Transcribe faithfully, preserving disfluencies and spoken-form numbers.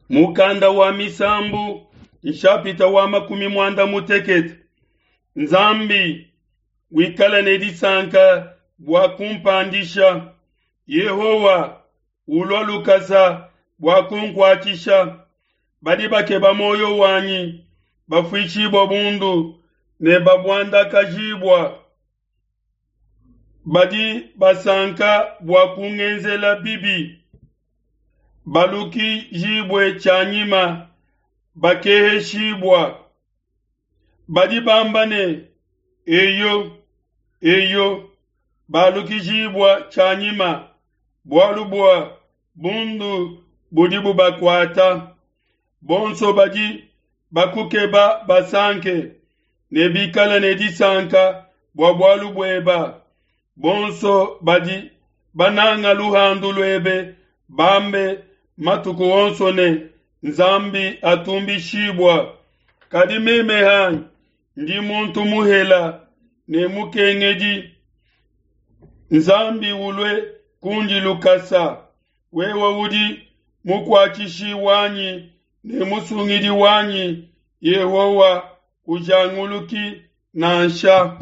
Mukanda wa Misambu nshapita wa makumi muanda mutekete. Nzambi wikale ne disanka bua kumpandisha. Yehowa ulua lukasa bua kunkuatshisha. Badi bakeba muoyo wanyi bafuishibua bundu ne babuandakajibua. Badi basanka bua kungenzela bibi, balukijibue tshianyima bakeheshibua. Badi bamba ne, Eyo, eyo, balukijibua tshianyima, bualu bua bundu budi bubakuata. Bonso badi bakukeba basanke ne bikale ne disanka bua bualu bueba. Bonso badi bananga luhandu luebe bambe matuku onso ne, Nzambi atumbishibua. Kadi meme hanyi ndi muntu muhela ne mukengedi. Nzambi ulue kundi lukasa. Wewe udi mukuatshishi wanyi ne musungidi wanyi, Yehowa kujanguluki nansha.